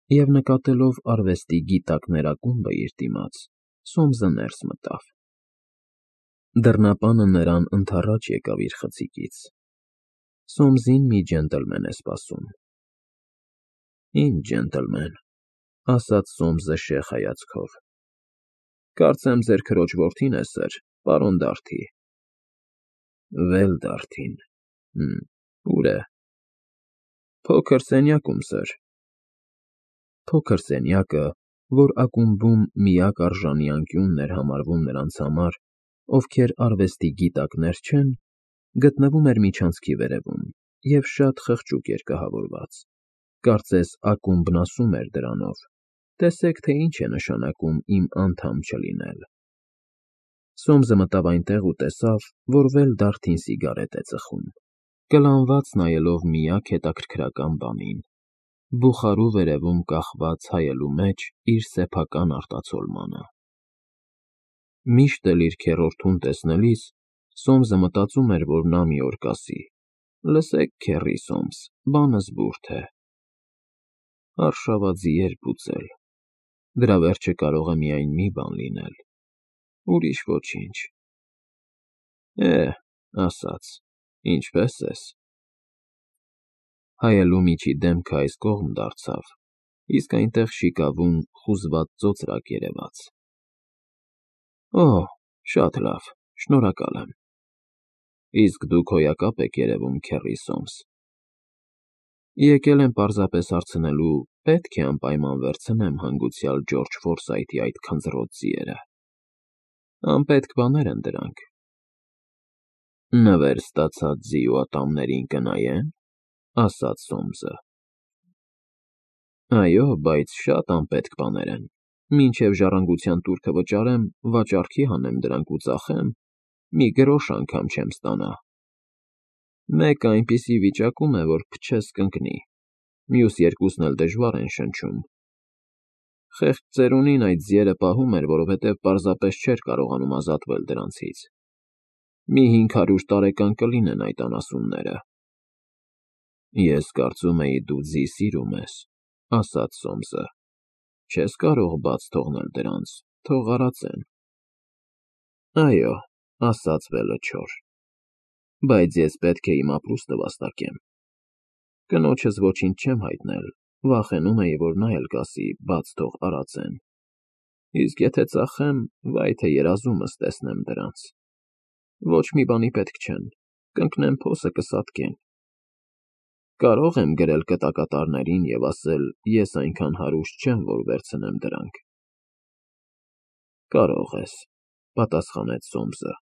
և նկատելով արվեստի գիտակներ ակումբը իր դիմաց, Սոմսը ներս մտավ։ Դռնապանը նրան ընդառաջ եկավ իր խցիկից։ Սոմսին մի ջենտլմեն է սպասում։ Ինչ ջենտլմեն, ասաց Սոմսը շեխ հայացքով։ Կարծեմ ձեր քրոջ որդին է, սըր, պարոն Դարդի։ Վել Դարդին։ Ուր է։ Փոքր սենյակում, սըր։ Փոքր սենյակը, որ ակումբում միակ արժանի անկյունն էր համարվում նրանց համար, ովքեր արվեստի գիտակներ չեն, գտնվում էր միջանցքի վերևում և շատ խղճուկ էր կահավորված, կարծես ակումբն ասում էր դրանով. տեսեք, թե ինչ է նշանակում իմ անդամ չլինել։ Սոմսը մտավ այնտեղ ու տեսավ, որ Վել Դարդին սիգարետ է ծխում, կլանված նայելով միակ հետաքրքրական բանին՝ բուխարու վերևում կախված հայելու մեջ իր սեփական արտացոլմանը։ Միշտ էլ իր քեռորդուն տեսնելիս Սոմսը մտածում էր, որ նա մի օր կասի. «Լսեք, քեռի Սոմս, բանը զբուրդ է»։ Արշավաձի երբ ուծել։ Դրա վերջը կարող է միայն մի բան լինել, ուրիշ ոչինչ։ Ասաց, ինչպե՞ս ես։ Հայելու միջի դեմքը այս կողմ դարձավ, իսկ այնտեղ շիկավուն, խուզված ծոծրակ երևաց։ Շատ լավ, շնորհակալ եմ։ Իսկ դուք հոյակապ եք երևում, քեռի Սոմս։ Եկել եմ պարզապես հարցնելու, պետք է անպայման վերցնեմ հանգուցյալ Ջորջ Ֆորսայթի այդ քնձռոտ ձիերը։ Անպետք բաներ են դրանք։ Նվեր ստացած ձի ու ատամներին կնայե՞ն, ասաց Սոմսը։ Այո, բայց շատ անպետք բաներ են։ Մինչև ժառանգության տուրքը վճարեմ, վաճառքի հանեմ դրանք ու ծախեմ, մի գրոշ անգամ չեմ ստանա։ Մեկը այնպիսի վիճակում է, որ փչես կընկնի, մյուս երկուսն էլ դժվար են շնչում։ Խեղճ ծերունին այդ ձիերը պահում էր, որովհետև պարզապես չէր կարողանում ազատվել դրանցից։ Մի 500 տարեկան կլինեն այդ անասունները։ Ես կարծում էի, դու ձի սիրում ես, ասաց Սոմսը։ Չես կարող բաց թողնել դրանց, թող արածեն։ Այո, ասաց Վելը չոր, բայց ես պետք է իմ ապրուստը վաստակեմ։ Կնոջս ոչինչ չեմ հայտնել, վախենում էի, որ նա էլ կասի, բաց թող արածեն։ Իսկ եթե ծախեմ, վայ թե երազումս տեսնեմ դրանց։ Ոչ մի բանի պետք չեն, կընկնեն փոսը կսատկեն։ Կարո՞ղ եմ գրել կտակատարներին և ասել, ես այնքան հարուստ չեմ, որ վերցնեմ դրանք։ Կարող ես, պատասխանեց Սոմսը։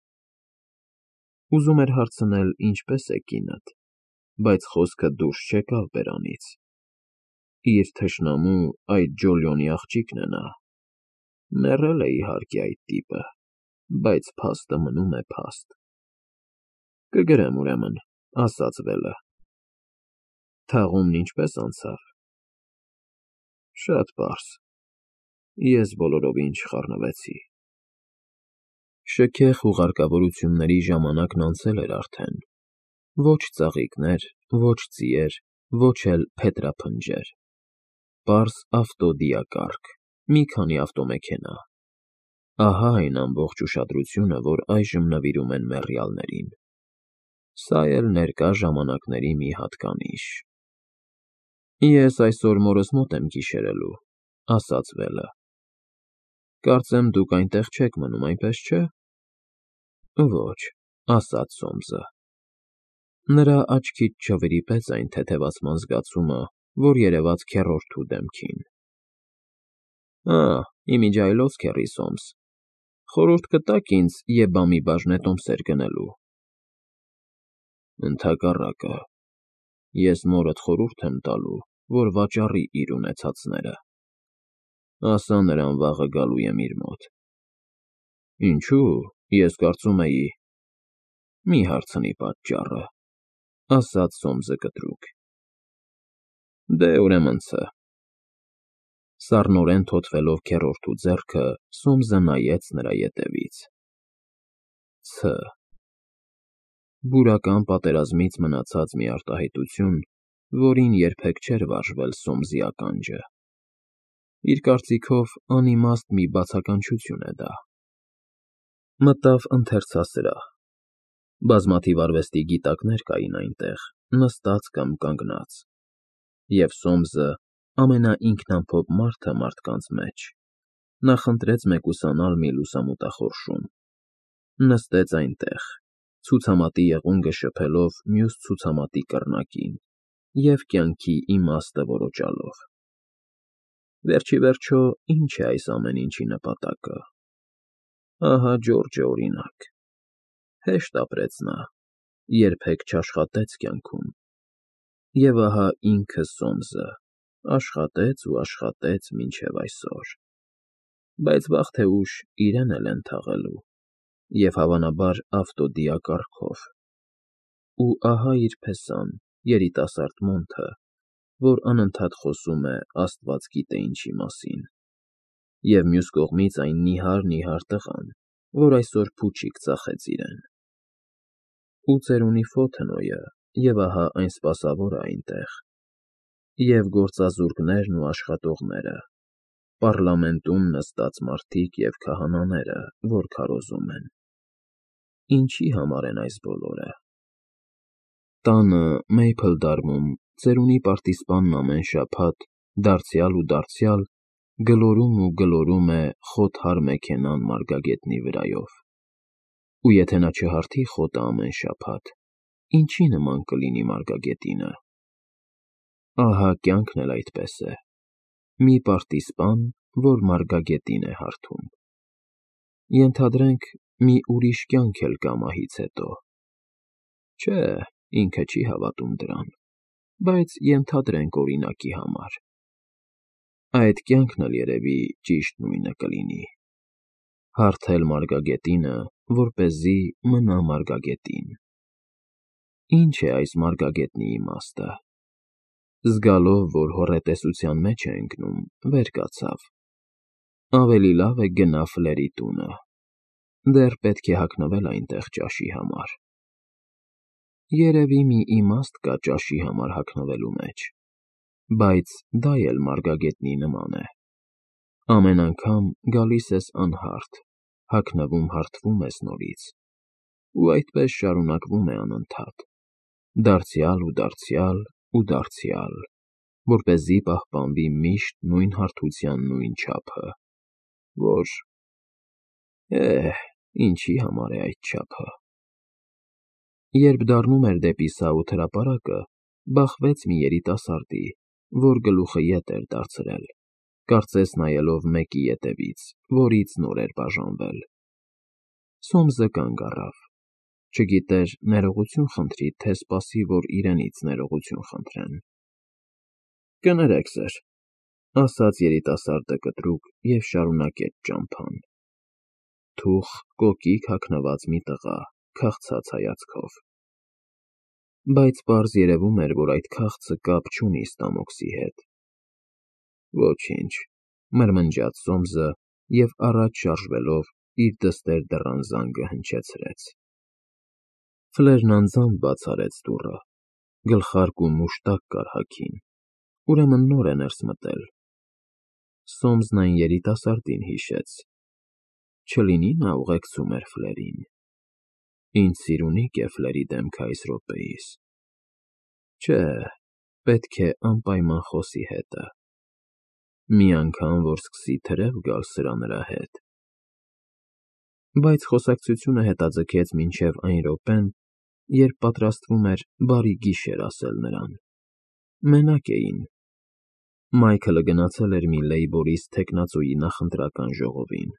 Ուզում էր հարցնել, ինչպես է կինդ, բայց խոսքը դուրս չեկավ բերանից։ Իր թշնամու, այդ Ջոլիոնի աղջիկն է նա։ Մեռել է, իհարկե, այդ տիպը, բայց փաստը մնում է փաստ։ Կգրեմ, ուրեմն, ասաց Վելը։ Թաղումն ինչպե՞ս անցավ։ Շատ պարզ։ Ես բոլորովին չխառնվեցի։ Շքեղ հուղարկավորությունների ժամանակն անցել էր արդեն։ Ոչ ծաղիկներ, ոչ ձիեր, ոչ էլ փետրափնջեր։ Պարզ ավտոդիակարգ, մի քանի ավտոմեքենա։ Ահա այն ամբողջ ուշադրությունը, որ այժմ նվիրում են մեռյալներին։ Սա էլ ներկա ժամանակների մի հատկանիշ։ Ես այսօր մորս մոտ եմ գիշերելու, ասաց Վելը։ Կարծեմ դուք այնտեղ չեք մնում, այնպես չէ։ Ոչ, ասաց Սոմսը։ Նրա աչքից չվրիպեց այն թեթևացման զգացումը, որ երևաց քեռորդու դեմքին։ Իմիջիայլոց, քեռի Սոմս, խորհուրդ կտա՞ք ինձ Եբամի բաժնետոմսեր գնելու։ Ընդհակառակը, ես մորդ խորհուրդ եմ տալու, որ վաճառի իր ունեցածները։ Ասա նրան վաղը գալու եմ իր մոտ։ Ինչո՞ւ, ես կարծում էի… Մի հարցնի պատճառը, ասաց Սոմսը կտրուկ։ Դե, ուրեմն ց… Սառնորեն թոթվելով քեռորդու ձեռքը, Սոմսը նայեց նրա ետևից։ Բուրական պատերազմից մնացած մի արտահայտություն, որին երբեք չէր վարժվել Սոմսի ականջը։ Իր կարծիքով անիմաստ մի բացականչություն է դա։ Մտավ ընթերցասրահ։ Բազմաթիվ արվեստի գիտակներ կային այնտեղ, նստած կամ կանգնած, և Սոմսը, ամենաինքնամփոփ մարդը մարդկանց մեջ, նախընտրեց մեկուսանալ մի լուսամուտախորշում։ Նստեց այնտեղ, ցուցամատի եղունգը շփելով մյուս ցուցամատի կռնակին և կյանքի իմաստը որոջալով։ Վերջ ի վերջո, ի՞նչ է այս ամեն ինչի նպատակը։ Ահա Ջորջը, օրինակ, հեշտ ապրեց նա, երբեք չաշխատեց կյանքում, և ահա ինքը Սոմսը աշխատեց ու աշխատեց մինչև այսօր, բայց վաղ թե ուշ իրեն էլ են թաղելու, և հավանաբար ավտոդիա կարգով։ Ու ահա իր փեսան, երիտասարդ մոնթը, որ անընդհատ խոսում է աստված գիտե ինչի մասին, և մյուս կողմից այն նիհար տղան, որ այսօր փուչիկ ծախեց իրեն։ Ու ծերունի Ֆոթնոյը, և ահա այն սպասավորը այնտեղ, և գործազուրկներն ու աշխատողները, պառլամենտում նստած մարդիկ և քահանաները, որ քարոզում են։ Ինչի համար են այս բոլորը։ Տանը Մեյփլդարմում ծերունի պարտիզպանն ամեն շաբաթ դարձյալ ու դարձյալ գլորում է խոթար մեքենան մարգագետնի վրայով։ Ու եթե նա չհարթի խոտը ամեն շաբաթ, ինչի նման կլինի մարգագետինը։ Ահա կյանքն էլ այդպես է. մի պարտիզպան, որ մարգագետին է հարթում։ Ենթադրենք, մի ուրիշ կյանք էլ կա մահից հետո։ Չէ, ինքը չի հավատում դրան, բայց ենթադրենք օրինակի համար։ Այդ կյանքն էլ երևի ճիշտ նույնը կլինի. հարթել մարգագետինը, որպեսզի մնա մարգագետին։ Ինչ է այս մարգագետնի իմաստը։ Զգալով, որ հոռետեսության մեջ է ընկնում, վեր կացավ. ավելի լավ է գնա Ֆլերի տունը, դեռ պետք է հագնվել այնտեղ ճաշի համար։ Երևի մի իմաստ կա ճաշի համար հագնվելու մեջ, բայց դա էլ մարգագետնի նման է։ Ամեն անգամ գալիս ես անհարթ, հագնվում ես նորից, ու այդպես շարունակվում է անընդհատ, դարձյալ ու դարձյալ ու դարձյալ, որպեսզի պահպանվի միշտ նույն հարթության նույն չափը, որ… ինչի համար է այդ չափը։ Երբ դառնում էր դեպի Սաութ հրապարակը, բախվեց մի երիտասարդի, որ գլուխը ետ էր դարձրել, կարծես նայելով մեկի ետևից, որից նոր էր բաժանվել։ Սոմսը կանգ առավ, չգիտեր ներողություն խնդրի, թե սպասի, որ իրենից ներողություն խնդրեն։ Կներեք, սըր, ասաց երիտասարդը կտրուկ և շարունակեց ճամփան։ Թուխ կոկիկ հագնված մի տղա, քաղցած հայացքով։ Բայց պարզ երևում էր, որ այդ քաղցը կապ չունի ստամոքսի հետ։ Ոչինչ, մրմնջաց Սոմսը և առաջ շարժվելով իր դստեր դռան զանգը հնչեցրեց։ Ֆլերն անձամբ բաց արեց դուռը, գլխարկ ու մուշտակ կար հագին, ուրեմն նոր է ներս մտել։ Սոմսն այն երիտասարդին հիշեց. չլինի նա ուղեկցում էր Ֆլերին։ Ինձ սիրունիկ է Ֆլերի դեմքը այս րոպեիս։ Չէ, պետք է անպայման խոսի հետը։ Մի անգամ, որ սկսի թրև գալ սրա֊նրա հետ։ Բայց խոսակցությունը հետաձգեց մինչև այն րոպեն, երբ պատրաստվում էր «բարի գիշեր» ասել նրան։ Մենակ էին։ Մայքլը գնացել էր մի լեյբորիստ թեկնածուի նախընտրական ժողովին։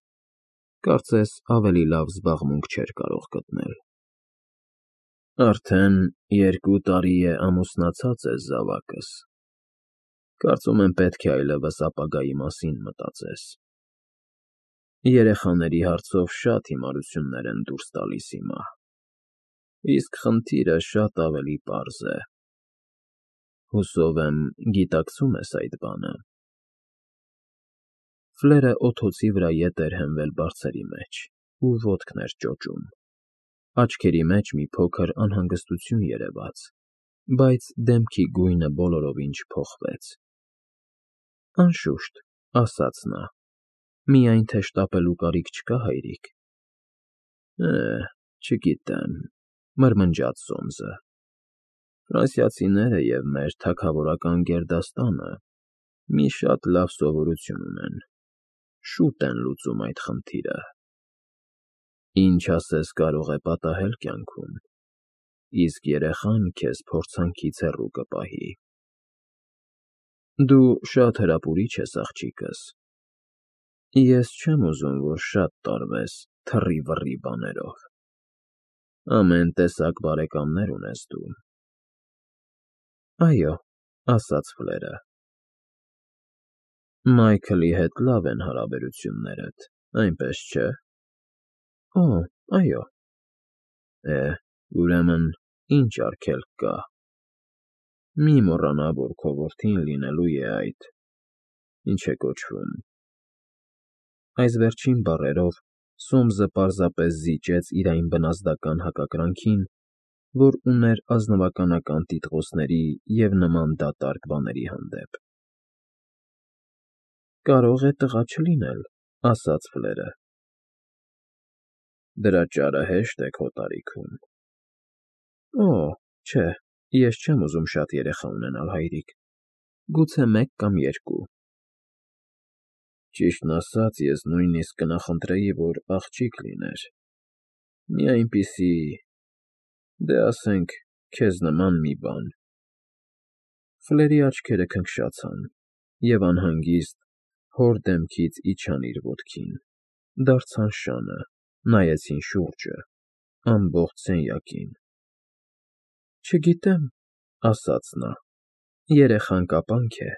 Կարծես ավելի լավ զբաղմունք չէր կարող գտնել։ Արդեն 2 տարի է ամուսնացած ես, զավակս։ Կարծում եմ պետք է այլևս ապագայի մասին մտածես։ Երեխաների հարցով շատ հիմարություններ են դուրս տալիս հիմա, իսկ խնդիրը շատ ավելի պարզ է։ Հուսով եմ, գիտակցում ես այդ բանը։ Ֆլերը օդոցի վրա ետ էր հենվել բարձերի մեջ ու ոտքն էր ճոճում։ Աչքերի մեջ մի փոքր անհանգստություն երևաց, բայց դեմքի գույնը բոլորովին չփոխվեց։ Անշուշտ, ասաց նա։ Միայն թե շտապելու կարիք չկա, հայրիկ։ Չգիտեմ, մրմնջաց Սոմսը։ Ֆրանսիացիները և մեր թագավորական գերդաստանը մի շատ լավ սովորություն ունեն. շուտ են լուծում այդ խնդիրը։ Ինչ ասես կարող է պատահել կյանքում, իսկ երեխան քեզ փորձանքից հեռու կպահի։ Դու շատ հրապուրիչ ես, աղջիկս։ Ես չեմ ուզում, որ շատ տարվես թռի֊վռի բաներով։ Ամեն տեսակ բարեկամներ ունես դու։ Այո, ասաց Ֆլերը։ Մայքլի հետ լավ են հարաբերություններդ, այնպես չէ։ Օ, այո։ Ուրեմն, ինչ արգելք կա։ Մի մոռանա, որ քո որդին լինելու է այդ… ինչ է կոչվում… Այս վերջին բառերով Սոմսը պարզապես զիջեց իր այն բնազդական հակակրանքին, որ ուներ ազնվականական տիտղոսների և նման դատարկ բաների հանդեպ։ Կարող է տղա չլինել, ասաց Ֆլերը։ Դրա ճարը հեշտ է քո տարիքում։ Օ, չէ, ես չեմ ուզում շատ երեխա ունենալ, հայրիկ, գուցե մեկ կամ երկու։ Ճիշտն ասած, ես նույնիսկ կնախընտրեի, որ աղջիկ լիներ, մի այնպիսի, դե ասենք, քեզ նման մի բան… Ֆլերի աչքերը քնքշացան, և անհանգիստ հոր դեմքից իջան իր ոտքին, դարձան շանը, նայեցին շուրջը, ամբողջ սենյակին։ Չգիտեմ, ասաց նա, երեխան կապանք է,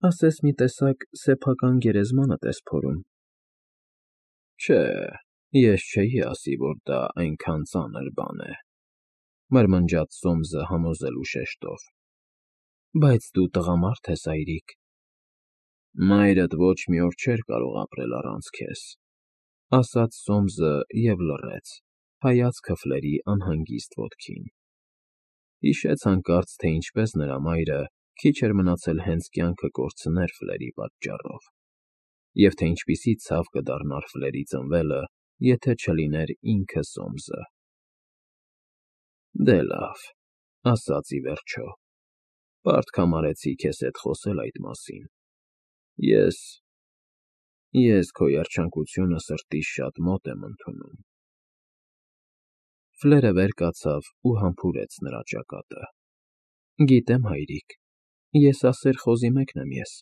ասես մի տեսակ սեփական գերեզմանդ ես փորում։ Չէ, ես չէի ասի, որ դա այնքան ծանր բան է, մրմնջաց Սոմսը համոզելու շեշտով։ Բայց դու տղամարդ ես, հայրիկ։ Մայրդ ոչ մի օր չէր կարող ապրել առանց քեզ, ասաց Սոմսը և լռեց, հայացքը Ֆլերի անհանգիստ ոտքին։ Հիշեց հանկարծ, թե ինչպես նրա մայրը քիչ էր մնացել հենց կյանքը կորցներ Ֆլերի պատճառով, և թե ինչպիսի ցավ կդառնար Ֆլերի ծնվելը, եթե չլիներ ինքը Սոմսը։ Դե լավ, ասաց ի վերջո, պարտք համարեցի քեզ հետ խոսել այդ մասին։ Ես քո երջանկությունը սրտիս շատ մոտ եմ ընդունում։ Ֆլերը վեր կացավ ու համբուրեց նրա ճակատը։ Գիտեմ, հայրիկ, եսասեր խոզի մեկն եմ ես։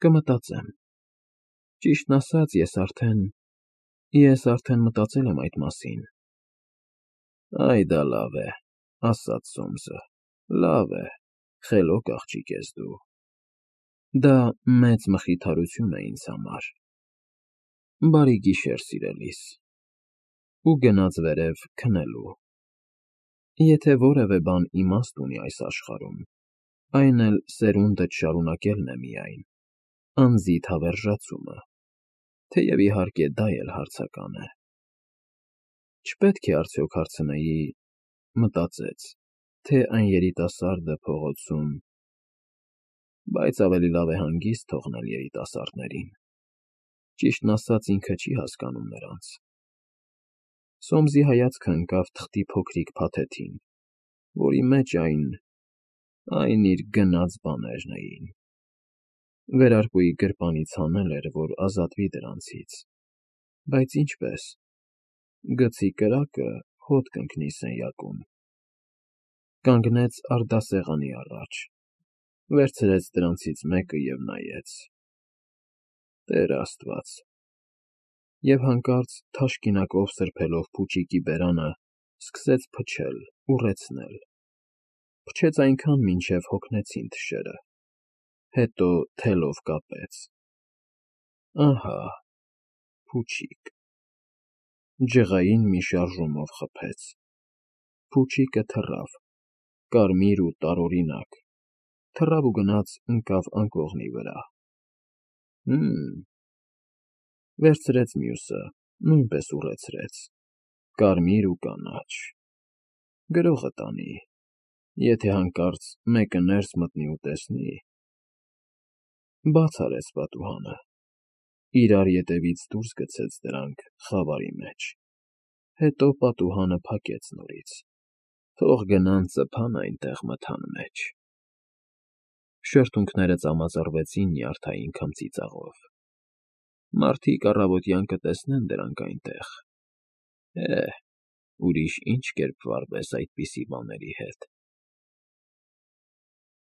Կմտածեմ։ Ճիշտն ասած, ես արդեն մտածել եմ այդ մասին։ Այ դա լավ է, ասաց Սոմսը, լավ է, խելոք աղջիկ ես դու։ Դա մեծ մխիթարություն է ինձ համար։ Բարի գիշեր, սիրելիս։ Ու գնաց վերև քնելու։ Եթե որևէ բան իմաստ ունի այս աշխարհում, այն էլ սերունդդ շարունակելն է միայն, անձիդ հավերժացումը, թեև իհարկե դա էլ հարցական է։ Չպետք է արդյոք հարցնեի, մտածեց, թե այն երիտասարդը փողոցում… Բայց ավելի լավ է հանգիստ թողնել երիտասարդներին։ Ճիշտն ասած, ինքը չի հասկանում նրանց։ Սոմսի հայացքը ընկավ թղթի փոքրիկ փաթեթին, որի մեջ այն իր գնած բաներն էին։ Վերարկուի գրպանից հանել էր, որ ազատվի դրանցից։ Բայց ինչպե՞ս… Գցի կրակը, հոտ կընկնի սենյակում։ Կանգնեց արդասեղանի առաջ, վերցրեց դրանցից մեկը և նայեց… Տեր Աստված… Եվ հանկարծ թաշկինակով սրբելով փուչիկի բերանը, սկսեց փչել, ուռեցնել… Փչեց այնքան, մինչև հոգնեցին թշերը, հետո թելով կապեց… Ահա… փուչիկ… Ջղային մի շարժումով խփեց… Փուչիկը թռավ, կարմիր ու տարօրինակ, թռավ ու գնաց ընկավ անկողնի վրա… Վերցրեց մյուսը, նույնպես ուռեցրեց… Կարմիր ու կանաչ… Գրողը տանի, եթե հանկարծ մեկը ներս մտնի ու տեսնի… Բաց արեց պատուհանը, իրար ետևից դուրս գցեց դրանք խավարի մեջ, հետո պատուհանը փակեց նորից, թող գնան ծփան այնտեղ մթան մեջ… Շրթունքները ծամազռվեցին նյարդային քմծի ծաղով. մարդիկ առավոտյան կտեսնեն դրանք այնտեղ… Ուրիշ ի՞նչ կերպ վարվես այդպիսի բաների հետ։